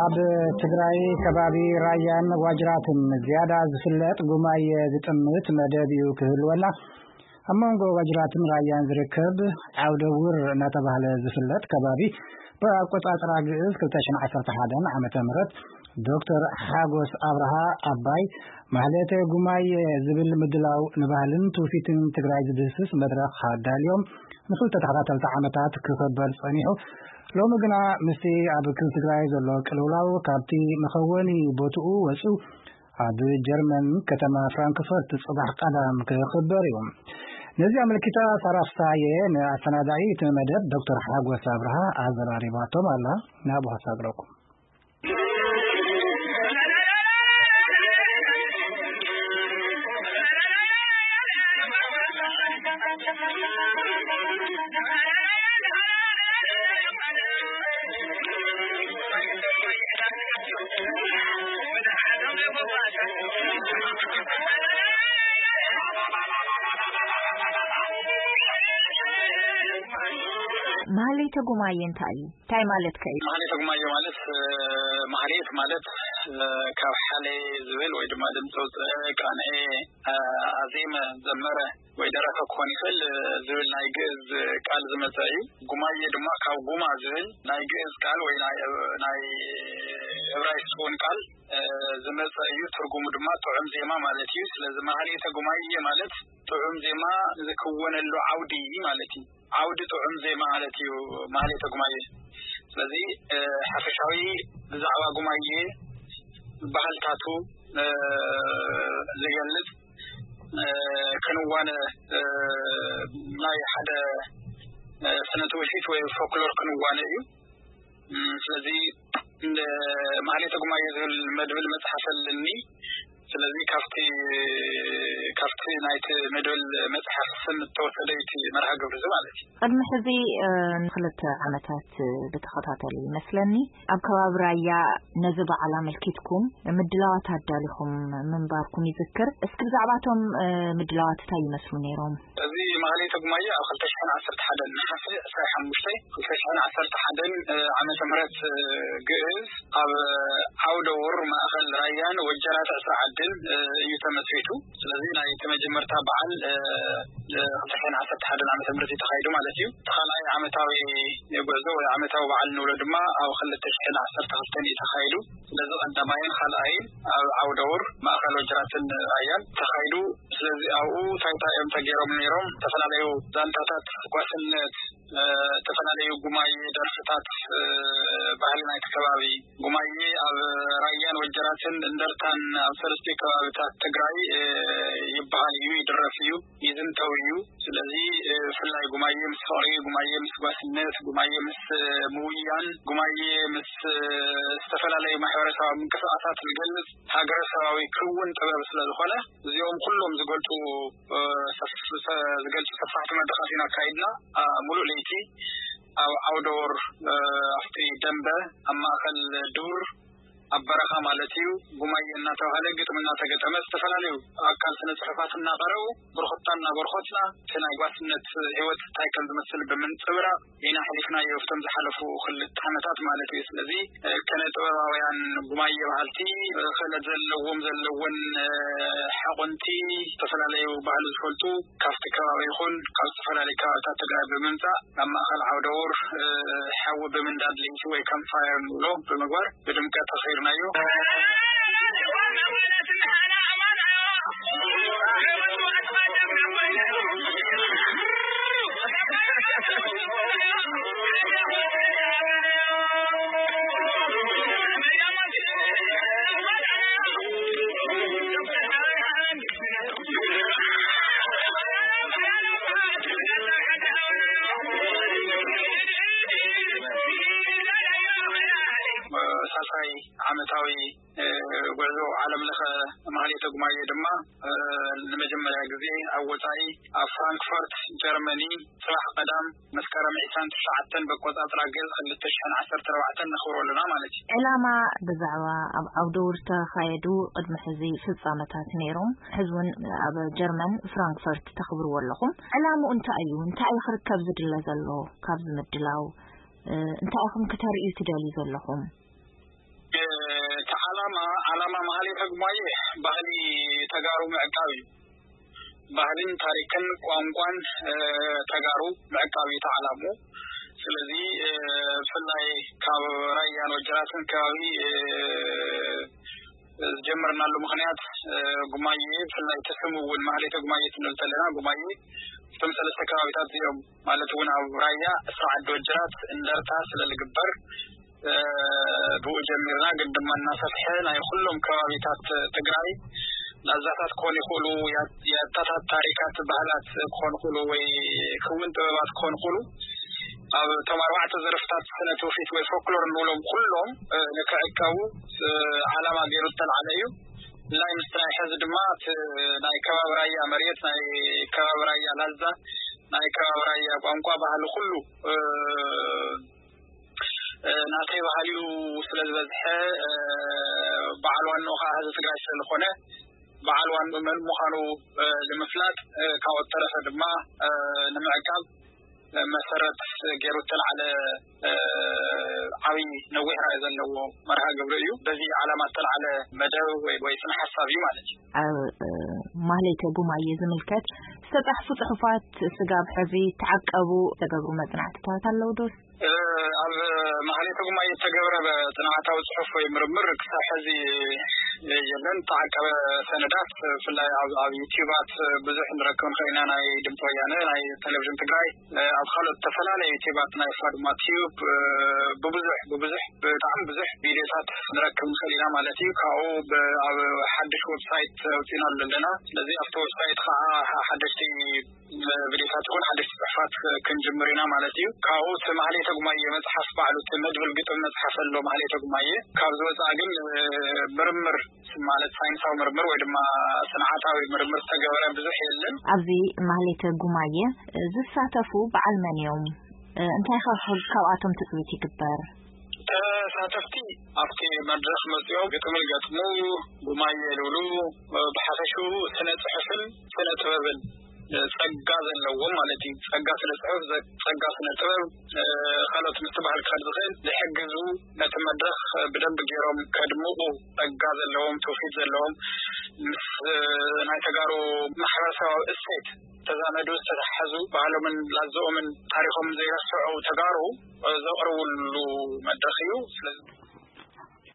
ኣብ ትግራይ ከባቢ ራያን ዋጅራትን ዝያዳ ዝፍለጥ ጉማየ ዝጥምት መደብ እዩ ክህልወና። ኣብ መንጎ ዋጅራትን ራያን ዝርከብ ዓውደ ውር እናተባህለ ዝፍለጥ ከባቢ፣ ብኣቆጻጽራ ግእዝ ክልተ ሽሕን ዓሰርተ ሓደን ዓመተ ምህረት ዶክተር ሓጎስ ኣብርሃ ኣባይ ማህሌተ ጉማየ ዝብል ምድላው ንባህልን ትውፊትን ትግራይ ዝድህስስ መድረኽ ኣዳልዮም ንክልተ ተኸታተልቲ ዓመታት ክኽበር ጸኒሑ። ሎሚ ግና ምስቲ ኣብ ክልል ትግራይ ዘሎ ቅልውላው ካብቲ መኸወኒ ቦትኡ ወጺኡ ኣብ ጀርመን ከተማ ፍራንክፈርት ጽባሕ ቀዳም ክኽበር እዩ። ነዚ ኣመልኪታ ሳራ ፍሳየ ንኣሰናዳኢ እቲ መደብ ዶክተር ሓጎስ ኣብርሃ ኣዘራሪባቶም ኣላ። ናብኡ ከሳግረኩም። ማህሌተ ጉማየ እንታይ እዩ? እንታይ ማለት ከ እዩ? ማህሌተ ጉማየ ማለት፣ እ፣ ማህሌት ማለት፣ እ፣ ካብ ሓሌ ዝብል ወይ ድማ ድምፂ ኣውፅአ፣ ቃንኤ፣ እ፣ ኣዜመ፣ ዘመረ ወይ ደረፈ ክኾን ይኽእል፣ እ፣ ዝብል ናይ ግእዝ ቃል ዝመፀ እዩ። ጉማየ ድማ ካብ ጉማ ዝብል ናይ ግእዝ ቃል ወይ ናይ፣ ናይ ዕብራይስጥ እውን ቃል፣ እ፣ ዝመፀ እዩ። ትርጉሙ ድማ ጥዑም ዜማ ማለት እዩ። ስለዚ ማህሌተ ጉማየ ማለት ጥዑም ዜማ ዝክወነሉ ዓውዲ ማለት እዩ። ዓውዲ ጥዑም ዜማ ማለት እዩ ማህሌተ ጉማየ። ስለዚ፣ እ፣ ሓፈሻዊ ብዛዕባ ጉማየ ባህልታቱ፣ እ፣ ዝገልጽ፣ እ፣ ክንዋነ፣ እ፣ ናይ ሓደ፣ እ፣ ስነ ትውፊት ወይ ፎክሎር ክንዋነ እዩ። እ፣ ስለዚ እንደ ማህሌተ ጉማየ ዝብል መድብል መጽሓፍ ኣለኒ። ስለዚ ካብቲ፣ ካብቲ ናይቲ መድብል መጽሓፍ ስም እተወሰደ እዩ እቲ መርሃ ግብሪ እዚ ማለት እዩ። ቅድሚ ሕዚ፣ እ፣ ንኽልተ ዓመታት ብተኸታተሊ ይመስለኒ ኣብ ከባቢ ራያ ነዚ በዓል ኣመልኪትኩም ምድላዋት ኣዳሊኹም ምንባርኩም ይዝክር። እስኪ ብዛዕባቶም፣ እ፣ ምድላዋት እንታይ ይመስሉ ነይሮም? እዚ ማህሌተ ጉማየ ኣብ ክልተ ሽሕን ዓሰርተ ሓደን ነሓሰ ዕስራን ሓሙሽተን ክልተ ሽሕን ዓሰርተ ሓደን፣ እ፣ ዓመተ ምህረት፣ እ፣ ግእዝ ኣብ ዓውደ ውር ማእኸል ራያን ወጀራት ዕስራ ዓድን፣ እ፣ እዩ ተመስሪቱ። ስለዚ ናይ እቲ መጀመርታ በዓል፣ እ፣ እ፣ ክልተ ሽሕን ዓሰርተ ሓደን ዓመተ ምህረት እዩ ተኻይዱ ማለት እዩ። እቲ ካልኣይ ዓመታዊ ጉዕዞ ወይ ዓመታዊ በዓል ንብሎ ድማ ኣብ ክልተ ሽሕን ዓሰርተ ክልተን እዩ ተኻይዱ። ስለዚ ቀዳማይን ካልኣይን ኣብ ዓውደ ውር ማእኸል ወጀራትን ራያን ተኻይዱ። ስለዚ ኣብኡ እንታይ እንታይ እዮም ተገይሮም ነይሮም? ዝተፈላለዩ ዛንታታት ጓስነት፣ እ፣ ዝተፈላለዩ ጉማየ ደርፍታት፣ እ፣ ባህሊ ናይቲ ከባቢ። ጉማየ ኣብ ራያን ወጀራትን እንደርታን ኣብ ሰለስቲኡ ከባብታት ትግራይ፣ እ፣ ይበሃል እዩ፣ ይድረፍ እዩ፣ ይዝንተው እዩ። ስለዚ፣ እ፣ ብፍላይ ጉማየ ምስ ፍቕሪ፣ ጉማየ ምስ ጓስነት፣ ጉማየ ምስ፣ እ፣ ምውያን፣ ጉማየ ምስ፣ እ፣ ዝተፈላለዩ ማሕበረሰባዊ ምንቅስቃሳት ዝገልጽ ሃገረሰባዊ ክውን ጥበብ ስለ ዝኾነ፣ እዚኦም ኩሎም ዝገልጹ፣ እ፣ ሰፍ-፣ ሰ-፣ ዝገልጹ ሰፋሕቲ መድረኻት ኢና ኣካይድና። ኣ፣ ሙሉእ ለይቲ ኣብ ዓውደ ወር፣ እ፣ ኣብቲ ደንበ ኣብ ማእከል ዱር ኣብ በረኻ ማለት እዩ፣ ጉማየ እናተባህለ ግጥሚ እናተገጠመ ዝተፈላለዩ ኣካል ስነ ጽሑፋት እናቐረቡ ብርኹታ እናበርኾትና እቲ ናይ ጓስነት ህይወት እንታይ ከም ዝመስል ብምንጽብራቕ ኢና ኣሕሊፍናዮ ኣብቶም ዝሓለፉ ክልተ ዓመታት ማለት እዩ። ስለዚ፣ እ፣ ከነ ጥበባውያን ጉማየ በሃልቲ፣ እ፣ ክእለት ዘለዎም ዘለወን፣ እ፣ ሓቆንቲ ዝተፈላለዩ ባህሊ ዝፈልጡ ካብቲ ከባቢ ይኹን ካብ ዝተፈላለዩ ከባብታት ትግራይ ብምምጻእ ናብ ማእኸል ዓውደ ውር፣ እ፣ ሓዊ ብምንዳድ ለይቲ ወይ ካምፕ ፋየር ንብሎ ብምግባር ብድምቀት ኣኽቢርናዮ። ሳልሳይ ዓመታዊ፣ እ፣ ዓለም ለኸ ማህሌተ ጉማየ ድማ ንመጀመርያ ግዜ ኣብ ወጻኢ ኣብ ፍራንክፈርት ጀርመኒ ጽባሕ ቀዳም መስከረም ዕስራን ትሽዓተን በቆጻጽራ ገጽ ክልተ ሽሕን ዓሰርተ ኣርባዕተን ነኽብሮ ኣለና ማለት እዩ። ዕላማ ብዛዕባ ኣብ ዓውደ ውር ዝተኻየዱ ቅድሚ ሕዚ ፍጻመታት ነይሮም። ሕዚ እውን ኣብ ጀርመን ፍራንክፈርት ተኽብርዎ ኣለኹም። ዕላምኡ እንታይ እዩ? እንታይ እዩ ክርከብ ዝድለ ዘሎ ካብዚ ምድላው? እ፣ እንታይ ኢኹም ክተርእዩ ትደልዩ ዘለኹም? እቲ ዓላማ፣ ዓላማ ማህሌተ ጉማየ ባህሊ ተጋሩ ምዕቃብ እዩ። ባህልን ታሪክን ቋንቋን፣ እ፣ ተጋሩ ምዕቃብ እዩ እቲ ዓላምኡ። ስለዚ፣ እ፣ ብፍላይ ካብ ራያን ወጀራትን ከባቢ፣ እ፣ ዝጀመርናሉ ምኽንያት፣ እ፣ ጉማየ፣ ብፍላይ እቲ ስም እውን ማህሌተ ጉማየ ክንብል ከለና፣ ጉማየ እቶም ሰለስተ ከባቢታት እዚኦም፣ ማለት እውን ኣብ ራያ፣ እስራ ዓዲ ወጀራት፣ እንደርታ ስለ ዝግበር፣ እ፣ ብኡ ጀሚርና፣ ግን ድማ እናሰፍሐ ናይ ኩሎም ከባቢታት ትግራይ ላዛታት ክኾኑ ይኽእሉ፣ ያ-፣ ያታታት ታሪካት ባህላት ክኾኑ ይኽእሉ፣ ወይ ክውን ጥበባት ክኾኑ ይኽእሉ። ኣብ እቶም ኣርባዕተ ዘርፍታት ስነ ትውፊት ወይ ፎክሎር ንብሎም ኩሎም፣ እ፣ ንክዕቀቡ፣ እ፣ ዓላማ ገይሩ ዝተልዓለ እዩ። ብፍላይ ምስቲ ናይ ሕዚ ድማ እቲ ናይ ከባቢ ራያ መሬት፣ ናይ ከባቢ ራያ ላዛ፣ ናይ ከባቢ ራያ ቋንቋ፣ ባህሊ ኩሉ፣ እ፣ እ፣ ናተይ ባህሊ እዩ ስለ ዝበዝሐ፣ እ፣ በዓል ዋንኡ ከዓ ህዝቢ ትግራይ ስለ ዝኾነ፣ በዓል ዋንኡ መን ምዃኑ፣ እ፣ ንምፍላጥ፣ እ፣ ካብኡ ተረፈ ድማ፣ እ፣ ንምዕቃብ፣ እ፣ መሰረት ገይሩ እተልዓለ፣ እ፣ ዓብዪ ነዊሕ ራዕይ ዘለዎ መርሃ ግብሪ እዩ። በዚ ዓላማ እተልዓለ መደብ ወይ፣ ወይ ስነ ሓሳብ እዩ ማለት እዩ። ኣብ፣ እ፣ ማህሌተ ጉማየ ዝምልከት ዝተጻሕፉ ጽሑፋት ስጋብ ሕዚ ተዓቀቡ፣ ዝተገብሩ መጽናዕትታት ኣለዉ ዶ? እ፣ ኣብ ማህሌተ ጉማየ እተገብረ ጥንዓታዊ ጽሑፍ ወይ ምርምር ክሳብ ሕዚ የለን። እተዓቀበ ሰነዳት ብፍላይ ኣብ፣ ኣብ ዩትዩባት ብዙሕ ንረክብ ንኽእል ኢና። ናይ ድምፂ ወያነ፣ ናይ ቴሌቪዥን ትግራይ፣ እ፣ ኣብ ካልኦት ዝተፈላለዩ ዩትዩባት፣ ናይ ፋዱማ ቲዩብ፣ እ፣ ብብዙሕ፣ ብብዙሕ፣ ብጣዕሚ ብዙሕ ቪድዮታት ንረክብ ንኽእል ኢና ማለት እዩ። ካብኡ ብ-፣ ኣብ ሓድሽ ዌብሳይት ኣውፂእናሉ ኣለና። ስለዚ ኣብቲ ዌብሳይት ከዓ ሓደሽቲ ቪድዮታት ይኹን ሓደሽቲ ጽሑፋት ክንጅምር ኢና ማለት እዩ። ካብኡ እቲ ማህሌተ ጉማየ መጽሓፍ ባዕሉ፣ እቲ መድብል ግጥም መጽሓፍ ኣሎ ማህሌተ ጉማየ። ካብ ዝወጽኣ ግን፣ እ፣ ምርምር፣ ማለት ሳይንሳዊ ምርምር ወይ ድማ ስንዓታዊ ምርምር ዝተገበረ ብዙሕ የለን። ኣብዚ ማህሌተ ጉማየ ዝሳተፉ በዓል መን እዮም? እ፣ እንታይ ከ ካብኣቶም ትጽቢት ይግበር? ተሳተፍቲ ኣብቲ መድረኽ መጺኦም ግጥሚ ይገጥሙ፣ ጉማየ ይልብሉ። ብሓፈሽኡ ስነ ጽሑፍን ስነ ጥበብን ጸጋ ዘለዎም ማለት እዩ። ጸጋ ስነ ጽሑፍ፣ ዘ-፣ ጸጋ ስነ ጥበብ፣ እ፣ ካልኦት ምስቲ ባህሊ ክኸድ ዝኽእል ዝሕግዙ፣ ነቲ መድረኽ ብደንቢ ገይሮም ከድምቑ ጸጋ ዘለዎም፣ ትውፊት ዘለዎም፣ ምስ፣ እ፣ ናይ ተጋሩ ማሕበረሰባዊ እሴት ተዛመዱ፣ ዝተተሓዙ፣ ባህሎምን ላዝኦምን ታሪኾምን ዘይረስዑ ተጋሩ፣ እ፣ ዘቕርብሉ መድረኽ እዩ። ስለዚ